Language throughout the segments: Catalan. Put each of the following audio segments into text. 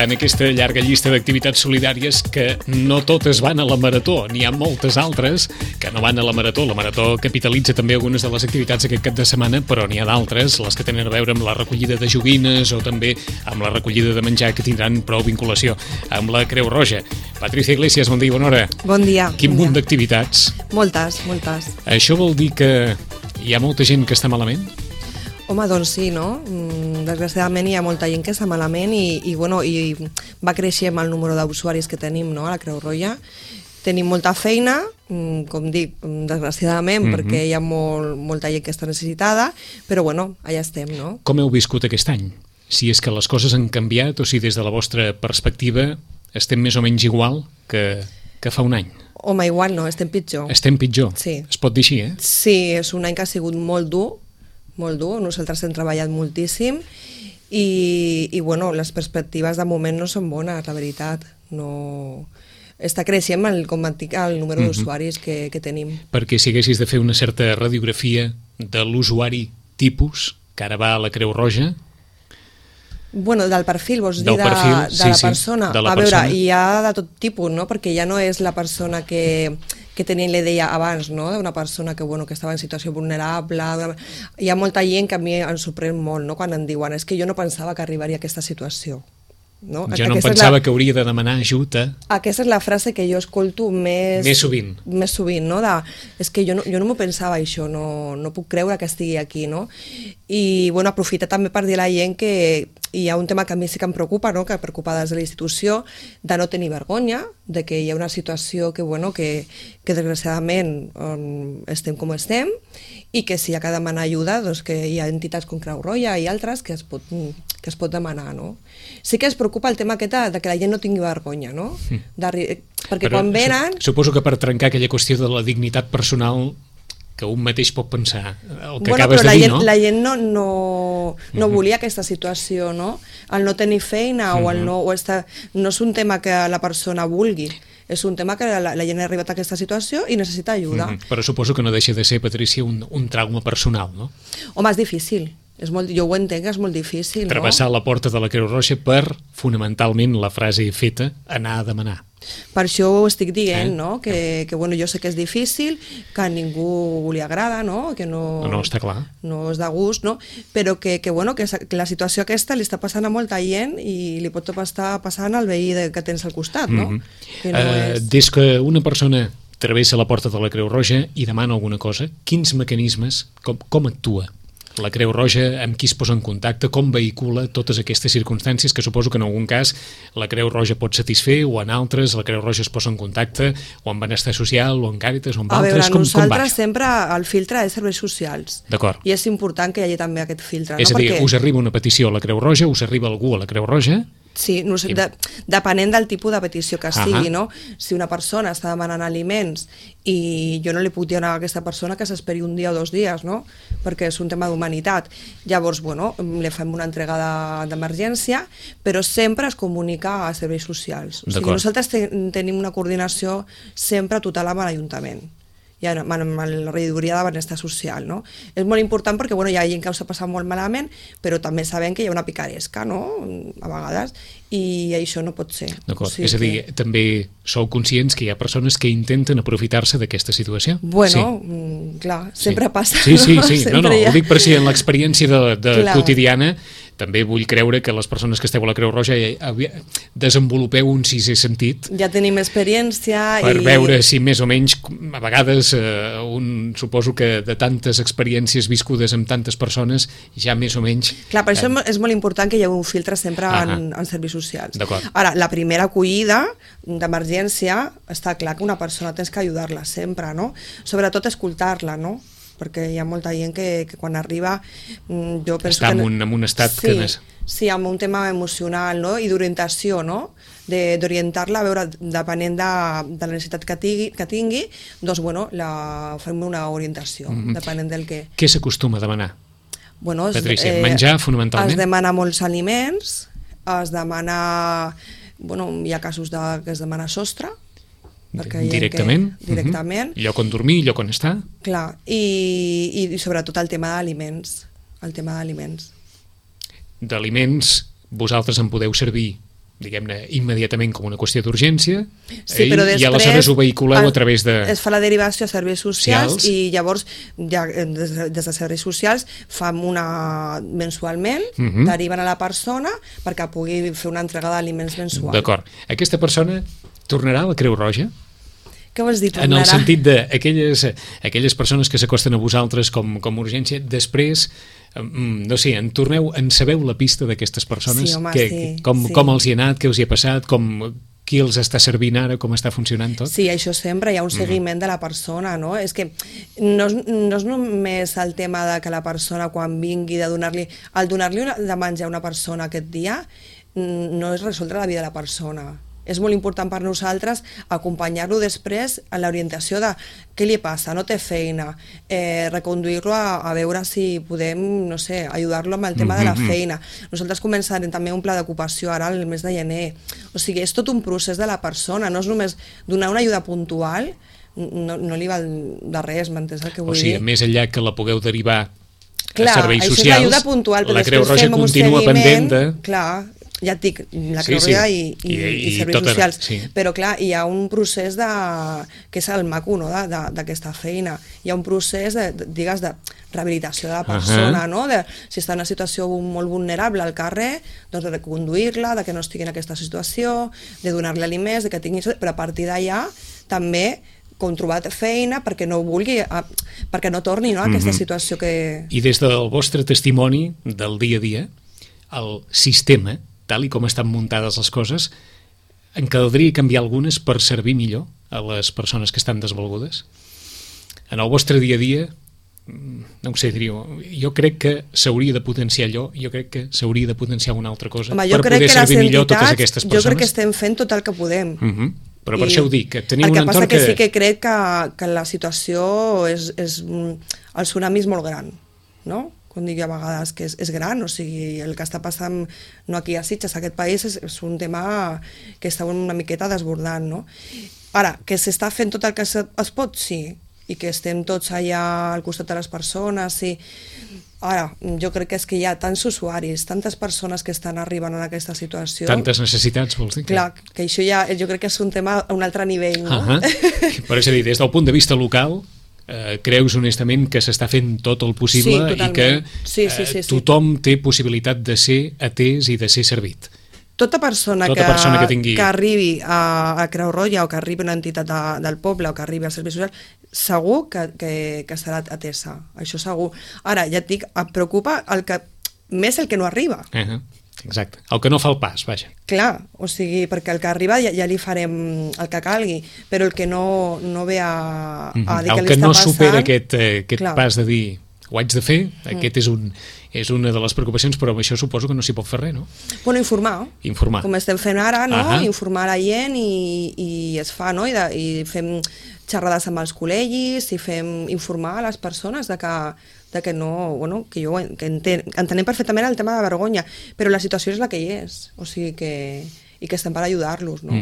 en aquesta llarga llista d'activitats solidàries que no totes van a la Marató. N'hi ha moltes altres que no van a la Marató. La Marató capitalitza també algunes de les activitats aquest cap de setmana, però n'hi ha d'altres, les que tenen a veure amb la recollida de joguines o també amb la recollida de menjar, que tindran prou vinculació amb la Creu Roja. Patricia Iglesias, bon dia i bona hora. Bon dia. Quin munt d'activitats. Moltes. Això vol dir que hi ha molta gent que està malament? Home, doncs sí, no? Desgraciadament hi ha molta gent que està malament i va creixent el número d'usuaris que tenim, no?, a la Creu Roja. Tenim molta feina, com dic, desgraciadament, perquè hi ha molta gent que està necessitada, però bueno, allà estem, no? Com heu viscut aquest any? Si és que les coses han canviat o si des de la vostra perspectiva estem més o menys igual que fa un any? Home, igual no, estem pitjor. Estem pitjor? Sí. Es pot dir així, eh? Sí, és un any que ha sigut molt dur. Nosaltres hem treballat moltíssim i bueno, les perspectives de moment no són bones, la veritat. No... Està creixent com et dic, el número d'usuaris que tenim. Perquè si haguessis de fer una certa radiografia de l'usuari tipus que ara va a la Creu Roja... Bueno, del perfil, vols dir, de la persona. A veure, hi ha de tot tipus, no? Perquè ja no és la persona que tenien la idea abans, no? D'una persona que estava en situació vulnerable. Hi ha molta gent que a mi em sorprèn molt, no?, quan em diuen és que jo no pensava que arribaria a aquesta situació. No? Jo no pensava que hauria de demanar ajuda. Aquesta és la frase que jo escolto més sovint, no? És que jo no m'ho pensava això, no puc creure que estigui aquí, no? I bueno, aprofitar també per dir a la gent que hi ha un tema que a mi sí que em preocupa, no?, que preocupa des de la institució, de no tenir vergonya, de que hi ha una situació que desgraciadament estem com estem, i que si hi ha que demanar ajuda, doncs que hi ha entitats com Creu Roja i altres que es pot demanar, no? Sí que es preocupa el tema aquest de que la gent no tingui vergonya, no? Perquè quan venen... Suposo que per trencar aquella qüestió de la dignitat personal que un mateix pot pensar, el que acabes de dir, no? La gent no volia aquesta situació, no? El no tenir feina o el no és un tema que la persona vulgui, és un tema que la gent ha arribat a aquesta situació i necessita ajuda. Però suposo que no deixa de ser, Patricia, un trauma personal, no? Home, és difícil. Jo ho entenc, és molt difícil, no? Travessar la porta de la Creu Roja per, fonamentalment, la frase feta, anar a demanar. Per això ho estic dient, no? Que jo sé que és difícil, que a ningú li agrada, no? Que no està clar. No és de gust, no? Però que la situació aquesta li està passant a molta gent i li pot estar passant al veí que tens al costat, no? Des que una persona travessa la porta de la Creu Roja i demana alguna cosa, quins mecanismes, com actua la Creu Roja, amb qui es posa en contacte, com vehicula totes aquestes circumstàncies que suposo que en algun cas la Creu Roja pot satisfer o en altres la Creu Roja es posa en contacte o amb Benestar Social o amb Càritas o amb altres, com va? Nosaltres sempre el filtre és serveis socials. D'acord. I és important que hi hagi també aquest filtre. És a dir, us arriba una petició a la Creu Roja, us arriba algú a la Creu Roja... Sí, depenent del tipus de petició que sigui, no? Si una persona està demanant aliments i jo no li puc dir a aquesta persona que s'esperi un dia o 2 dies, no? Perquè és un tema d'humanitat. Llavors, li fem una entrega d'emergència, però sempre es comunica a serveis socials. O sigui, nosaltres tenim una coordinació sempre total amb l'Ajuntament i amb la regidoria de Benestar Social, no? És molt important perquè hi ha gent que ho s'ha passat molt malament, però també sabem que hi ha una picaresca, no?, a vegades, i això no pot ser. D'acord, és a dir, també sou conscients que hi ha persones que intenten aprofitar-se d'aquesta situació? Bueno, clar, sempre passa. Sí, no, ho dic per si en l'experiència quotidiana també vull creure que les persones que esteu a la Creu Roja desenvolupeu un sisè sentit. Ja tenim experiència per veure si més o menys, a vegades, suposo que de tantes experiències viscudes amb tantes persones, ja més o menys... Clar, per això és molt important que hi hagi un filtre sempre en serveis socials. Ara, la primera acollida d'emergència, està clar que una persona tens que ajudar-la sempre, no? Sobretot escoltar-la, no? Perquè hi ha molta gent que quan arriba jo penso està en un estat que no és... Sí, amb un tema emocional, no?, i d'orientació, no?, d'orientar-la, a veure, depenent de la necessitat que tingui, doncs, fem una orientació, depenent del que... Què s'acostuma a demanar? Patricia, menjar, fonamentalment? Es demana molts aliments, es demana... hi ha casos que es demana sostre, directament, lloc on dormir, lloc on estar. Clar, i sobretot el tema d'aliments. D'aliments, vosaltres en podeu servir diguem-ne, immediatament com una qüestió d'urgència, sí, però després, i aleshores ho vehiculeu a través de... Es fa la derivació a serveis socials i llavors ja, des de serveis socials fam una mensualment, deriven a la persona perquè pugui fer una entrega d'aliments mensual. D'acord. Aquesta persona tornarà a la Creu Roja? Què vols dir, tornarà? En el sentit d'aquelles persones que s'acosten a vosaltres com urgència, després, no sé, en sabeu la pista d'aquestes persones? Sí, home, com els hi ha anat, què us hi ha passat, qui els està servint ara, com està funcionant tot? Sí, això sempre, hi ha un seguiment de la persona, no? És que no és només el tema de que la persona quan vingui de donar-li de menjar a una persona aquest dia, no és resoldre la vida de la persona. És molt important per nosaltres acompanyar-lo després en l'orientació de què li passa, no té feina, reconduir-lo a veure si podem, no sé, ajudar-lo amb el tema de la feina. Nosaltres començarem també un pla d'ocupació ara el mes de gener. O sigui, és tot un procés de la persona, no és només donar una ajuda puntual, no li val de res, m'entens el que vull dir? O sigui, més enllà que la pugueu derivar a serveis socials, això és l'ajuda puntual, però la Creu Roja continua pendent de... Clar, ja et dic, la Creu Roja i serveis socials, però clar, hi ha un procés que és el maco, no?, d'aquesta feina. Hi ha un procés de rehabilitació de la persona, no?, si està en una situació molt vulnerable al carrer, doncs de reconduir-la, de que no estigui en aquesta situació, de donar-li aliments, de que tingui... Però a partir d'allà també com trobat feina perquè no vulgui, perquè no torni, no?, a aquesta situació que... I des del vostre testimoni del dia a dia, el sistema, tal i com estan muntades les coses, en caldria canviar algunes per servir millor a les persones que estan desvalgudes? En el vostre dia a dia, no ho sé, jo crec que s'hauria de potenciar allò, jo crec que s'hauria de potenciar una altra cosa per poder servir millor totes aquestes persones. Jo crec que estem fent tot el que podem. Però per això ho dic, que teniu un entorn que... El que passa que sí que crec que la situació és el tsunami és molt gran, no? Com dic a vegades que és gran, o sigui, el que està passant no aquí a Sitges, aquest país és un tema que està una miqueta desbordant, no? Ara, que s'està fent tot el que es pot, sí, i que estem tots allà al costat de les persones, sí. Ara, jo crec que és que hi ha tants usuaris, tantes persones que estan arribant en aquesta situació... Tantes necessitats, vols dir? Clar, que això ja, jo crec que és un tema a un altre nivell, no? Però és a dir, des del punt de vista local... creus honestament que s'està fent tot el possible i que tothom té possibilitat de ser atès i de ser servit. Tota persona que arribi a Creu Roja o que arribi a una entitat del poble o que arribi als serveis socials, segur que serà atesa, això segur. Ara, ja et dic, em preocupa més el que no arriba. Exacte, el que no fa el pas, vaja. Clar, o sigui, perquè el que arriba ja li farem el que calgui, però el que no ve a dir que li està passant... El que no supera aquest pas de dir ho haig de fer, aquest és una de les preocupacions, però amb això suposo que no s'hi pot fer res, no? Bueno, informar. Com estem fent ara, no? Informar la gent i es fa, no? I fem xerrades amb els col·legis i fem informar a les persones de que no, bueno, que entenem perfectament el tema de vergonya, però la situació és la que hi és, o sigui i que estem per ajudar-los, no?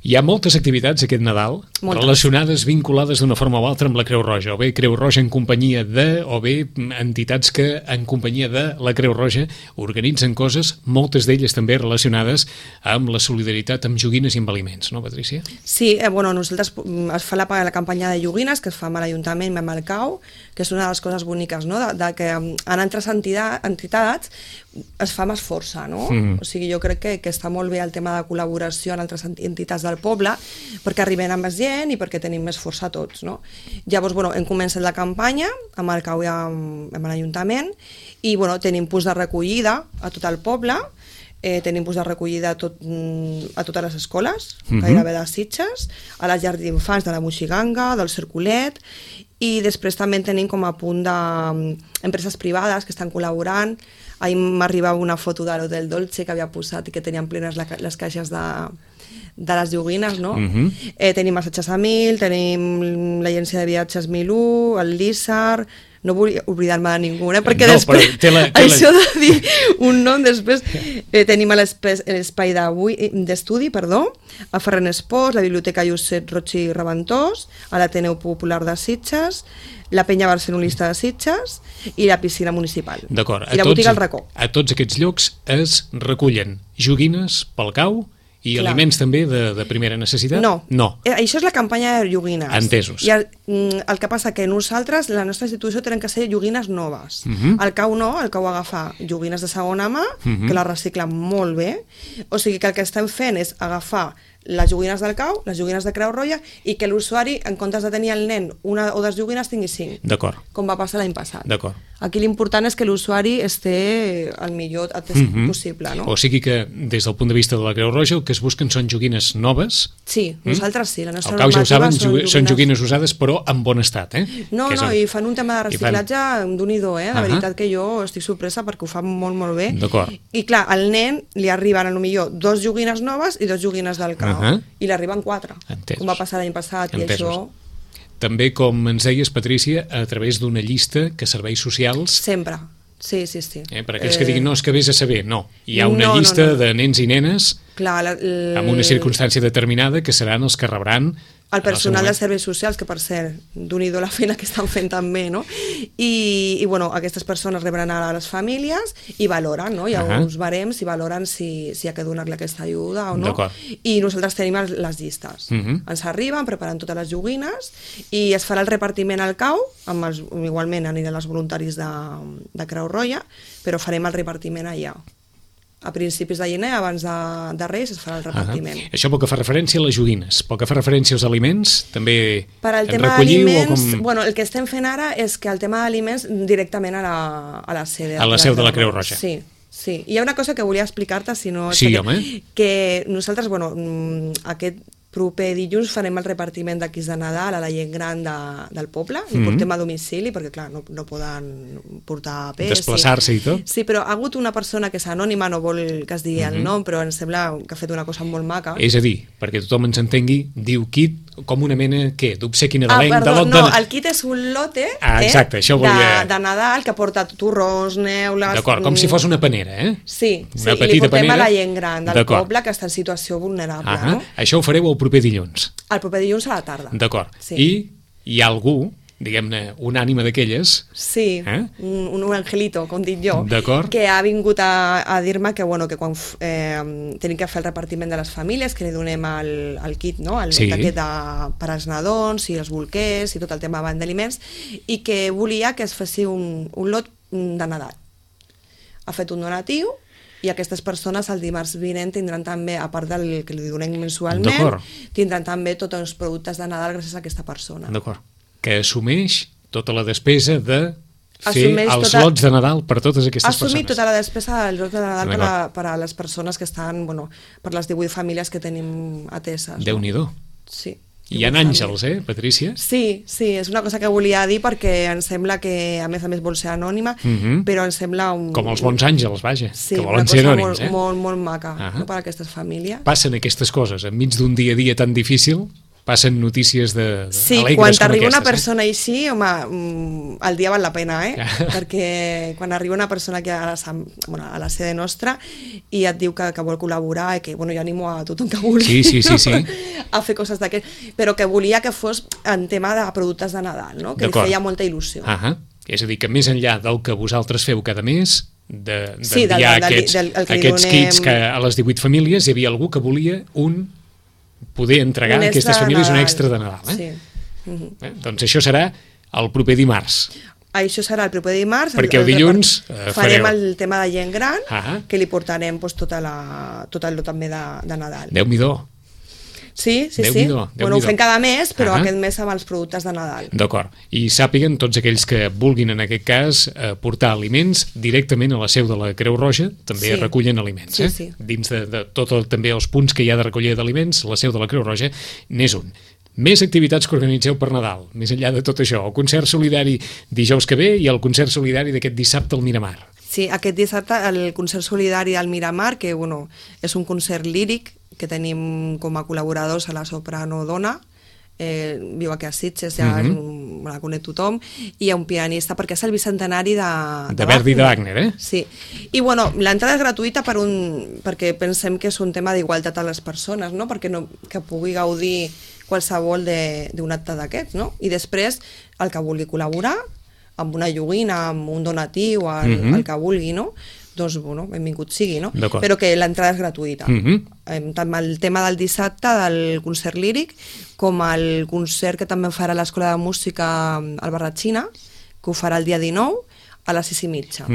Hi ha moltes activitats aquest Nadal relacionades, vinculades d'una forma o altra amb la Creu Roja, o bé Creu Roja en companyia o bé entitats que en companyia de la Creu Roja organitzen coses, moltes d'elles també relacionades amb la solidaritat amb joguines i amb aliments, no, Patrícia? Sí, bueno, nosaltres es fa la campanya de joguines que es fa amb l'Ajuntament i amb el CAU, que és una de les coses boniques, no?, de que en altres entitats es fa més força, no? O sigui, jo crec que està molt bé el tema de col·laboració en altres entitats del poble perquè arribem a més gent i perquè tenim més força tots, no? Llavors, bueno, hem començat la campanya amb el CAU i amb l'Ajuntament i, bueno, tenim punts de recollida a tot el poble, tenim punts de recollida a totes les escoles, gairebé de Sitges, a les llars d'infants de la Moixiganga, del Cercolet, i després també tenim com a punt d'empreses privades que estan col·laborant. Ahir m'arribava una foto de l'Hotel Dolce que havia posat i que tenien plenes les caixes de les joguines, no? Tenim Massatges a 1000, tenim l'agència de viatges 1001, el Lizard, no vull oblidar-me de ningú, perquè després, això de dir un nom, després tenim l'espai d'estudi, a Ferran Esports, la Biblioteca Josep Roig i Reventós, a l'Ateneu Popular de Sitges, la Penya Barcelonista de Sitges i la piscina municipal. D'acord. I la botiga al Racó. A tots aquests llocs es recullen joguines pel cau i aliments també de primera necessitat? No. Això és la campanya de joguines. Entesos. I el que passa que nosaltres, la nostra institució, tenen que ser joguines noves. El cau no, el cau agafa joguines de segona mà, que les reciclen molt bé. O sigui que el que estem fent és agafar les joguines del cau, les joguines de Creu Roja, i que l'usuari, en comptes de tenir el nen una o dues joguines, tingui 5. D'acord. Com va passar l'any passat. D'acord. Aquí l'important és que l'usuari esté el millor possible, no? O sigui que, des del punt de vista de la Creu Roja, el que es busquen són joguines noves? Sí, nosaltres sí. La nostra al cau ja ho saben, són joguines usades, però en bon estat, No, i fan un tema de reciclatge d'un-i-do, La veritat que jo estic sorpresa perquè ho fan molt, molt bé. D'acord. I clar, al nen li arriben potser 2 joguines noves i 2 joguines del cau. I li arriben 4, com va passar l'any passat. I això... També, com ens deies, Patrícia, a través d'una llista que serveis socials... Sempre, sí. Per aquells que diguin, no, és que vés a saber, no. Hi ha una llista de nens i nenes amb una circumstància determinada que seran els que rebran... El personal de serveis socials, que per cert, d'un-i-do la feina que estan fent també, no? I aquestes persones rebran a les famílies i valoren, no? Hi ha uns barems i valoren si ha de donar-li aquesta ajuda o no. I nosaltres tenim les llistes. Ens arriben, preparen totes les joguines i es farà el repartiment al cau, igualment aniran els voluntaris de Creu Roja, però farem el repartiment allà. A principis de gener, abans de Reis, es farà el repartiment. Això pel que fa referència a les joguines. Pel que fa referència als aliments, també en recolliu o com... el que estem fent ara és que el tema d'aliments directament a la sede. A la seu de la Creu Roja. Sí. Hi ha una cosa que volia explicar-te, si no... Sí, home. Que nosaltres, aquest proper dilluns farem el repartiment de kits de Nadal a la gent gran del poble, i portem a domicili, perquè clar, no poden portar pes. Desplaçar-se i tot. Sí, però ha hagut una persona que és anònima, no vol que es digui el nom, però em sembla que ha fet una cosa molt maca. És a dir, perquè tothom ens entengui, diu kit com una mena, què, d'obsequi nadalenc? El kit és un lote de Nadal que porta torrons, neules... D'acord, com si fos una panera, Sí, i li portem a la gent gran del poble que està en situació vulnerable. Això ho fareu el proper dilluns. El proper dilluns a la tarda. D'acord. I hi ha algú, diguem-ne, una ànima d'aquelles... Sí, un angelito, com dic jo, que ha vingut a dir-me que quan tenim que fer el repartiment de les famílies, que li donem el kit, el lot aquest per als nadons i els bolquers i tot el tema d'aliments, i que volia que es fessi un lot de Nadal. Ha fet un donatiu i aquestes persones el dimarts vinent tindran també, a part del que li donem mensualment, tindran també tots els productes de Nadal gràcies a aquesta persona. D'acord. Que assumeix tota la despesa de fer els lots de Nadal per totes aquestes persones. Assumir tota la despesa dels lots de Nadal per a les persones que estan, per les 18 famílies que tenim ateses. Déu-n'hi-do. Sí. Hi ha àngels, Patrícia? Sí, és una cosa que volia dir perquè em sembla que, a més vol ser anònima, però em sembla com els bons àngels, vaja, que volen ser anònims. Sí, una cosa molt maca per a aquestes famílies. Passen aquestes coses, enmig d'un dia a dia tan difícil, passen notícies alegres com aquestes. Sí, quan t'arriba una persona així, home, el dia val la pena, perquè quan arriba una persona aquí a la sede nostra i et diu que vol col·laborar i que, jo animo a tothom que vulgui a fer coses d'aquest, però que volia que fos en tema de productes de Nadal, que li feia molta il·lusió. És a dir, que més enllà del que vosaltres feu cada mes, d'enviar aquests kits a les 18 famílies, hi havia algú que volia poder entregar a aquestes famílies un extra de Nadal. Sí. Doncs això serà el proper dimarts. Això serà el proper dimarts. Perquè el dilluns farem el tema de gent gran, que li portarem tot el lot també de Nadal. Déu-n'hi-do. Sí. Ho fem cada mes, però aquest mes amb els productes de Nadal. D'acord. I sàpiguen tots aquells que vulguin, en aquest cas, portar aliments directament a la seu de la Creu Roja, també recullen aliments. Dins de tots també els punts que hi ha de recollida d'aliments, la seu de la Creu Roja n'és un. Més activitats que organitzeu per Nadal, més enllà de tot això. El concert solidari dijous que ve i el concert solidari d'aquest dissabte al Miramar. Sí, aquest dissabte el concert solidari al Miramar, que és un concert líric que tenim com a col·laboradors a la soprano Dona, viu aquí a Sitges, ja la conec tothom, i hi ha un pianista, perquè és el bicentenari de Verdi i de Wagner, Sí, i bueno, l'entrada és gratuïta perquè pensem que és un tema d'igualtat a les persones, no? Perquè que pugui gaudir qualsevol d'un acte d'aquests, no? I després, el que vulgui col·laborar, amb una joguina, amb un donatiu, el que vulgui, no? Doncs, bueno, benvingut sigui, no? Però que l'entrada és gratuïta. Tant el tema del dissabte, del concert líric, com el concert que també farà l'Escola de Música al Barratxina, que ho farà el dia 19, a les 6:30.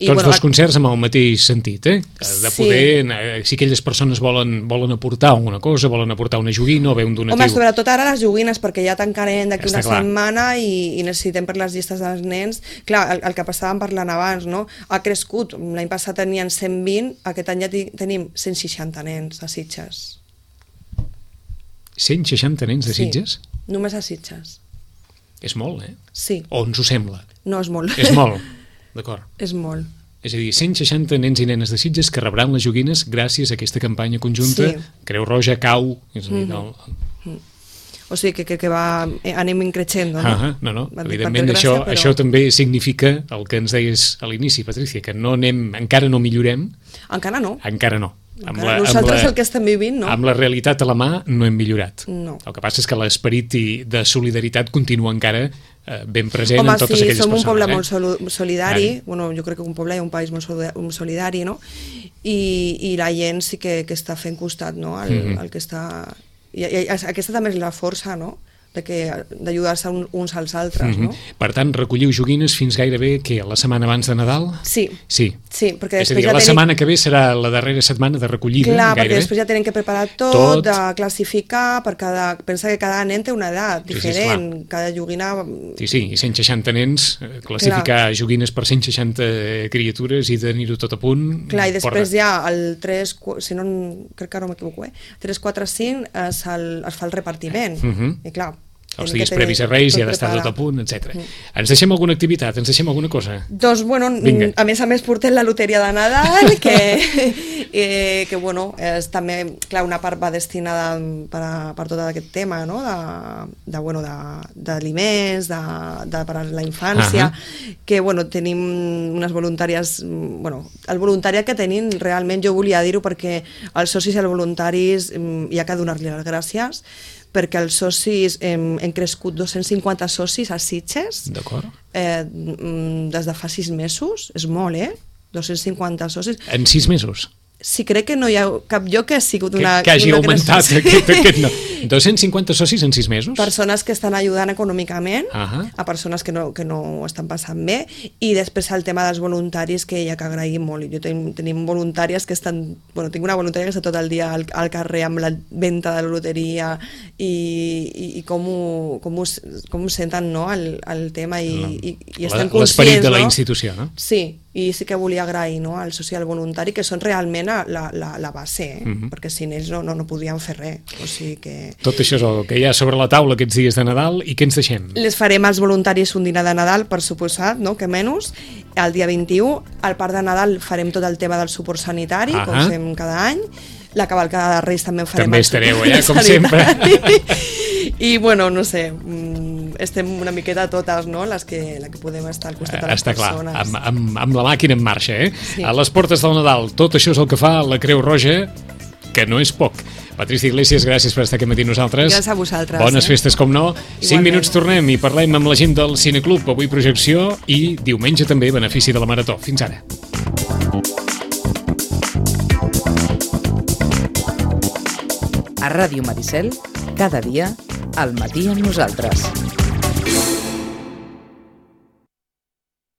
Tots dos concerts amb el mateix sentit, de poder, si aquelles persones volen aportar alguna cosa, volen aportar una joguina o bé un donatiu. Home, sobretot ara les joguines, perquè ja tancarem d'aquí una setmana i necessitem per les llistes dels nens. Clar, el que passàvem parlant abans, no? Ha crescut, l'any passat tenien 120, aquest any ja tenim 160 nens a Sitges. 160 nens de Sitges? Sí, només a Sitges. És molt, Sí. O ens ho sembla? No, és molt. És molt. D'acord. És molt. És a dir, 160 nens i nenes de Sitges que rebran les joguines gràcies a aquesta campanya conjunta, Creu Roja, CAU... O sigui que anem increixent, no? No, evidentment això també significa el que ens deies a l'inici, Patrícia, que encara no millorem. Encara no. Nosaltres el que estem vivint, no? Amb la realitat a la mà no hem millorat. No. El que passa és que l'esperit de solidaritat continua encara ben present en totes aquelles persones. Home, sí, som un poble molt solidari, bueno, jo crec que un poble i un país molt solidari, no? I la gent sí que està fent costat, no? El que està... I aquesta també és la força, no?, d'ajudar-se uns als altres, no? Per tant, recolliu joguines fins gairebé, la setmana abans de Nadal? Sí, perquè és a dir, la setmana que ve serà la darrera setmana de recollida, clar, gairebé. Perquè després ja tenen que preparar tot, de classificar, pensa que cada nen té una edat diferent, cada joguina... Sí, i 160 nens, classificar joguines per 160 criatures i tenir-ho tot a punt... Clar, i després ja el 3, si no, crec que no m'equivoco, 3, 4, 5 es fa el repartiment, i clar, els dies previs a Reis ja ha d'estar tot a punt, etc. Ens deixem alguna activitat? Ens deixem alguna cosa? Doncs, bueno, a més portem la loteria de Nadal, que bueno, és també, clar, una part va destinada per tot aquest tema, no?, d'aliments, per a la infància, que, bueno, tenim unes voluntàries, bueno, el voluntariat que tenim, realment jo volia dir-ho perquè els socis i els voluntaris hi ha que donar-li les gràcies, perquè els socis hem crescut 250 socis a Sitges des de fa 6 mesos, és molt, 250 socis. En 6 mesos? Sí, crec que no hi ha cap lloc que ha sigut una... Que hagi augmentat aquest no. 250 socis en 6 mesos? Persones que estan ajudant econòmicament a persones que no estan passant bé, i després el tema dels voluntaris, que hi ha que agrair molt. Tenim voluntàries que estan... Bueno, tinc una voluntària que està tot el dia al carrer amb la venda de la loteria i com ho senten, no?, el tema, i estan conscients, l'esperit de la institució, no? Sí, i sí que volia agrair, no?, al social voluntari, que són realment la base, perquè sin ells no podíem fer res. O sigui que... Tot això és el que hi ha sobre la taula aquests dies de Nadal, i què ens deixem? Les farem als voluntaris un dinar de Nadal, per suposat, no?, que menys, el dia 21. Al Parc de Nadal farem tot el tema del suport sanitari, com fem cada any. La cavalcada de Reis també en farem. També estareu allà, com sempre. I, bueno, no sé, estem una miqueta totes, no?, les que podem estar al costat de les persones. Està clar, amb la màquina en marxa, Sí. A les portes del Nadal, tot això és el que fa la Creu Roja, que no és poc. Patrícia Iglesias, gràcies per estar aquí amb nosaltres. Gràcies a vosaltres. Bones festes, com no. 5 minuts tornem i parlem amb la gent del Cineclub. Avui projecció i diumenge també benefici de la Marató. Fins ara. A Ràdio Maricel, cada dia, al matí amb nosaltres.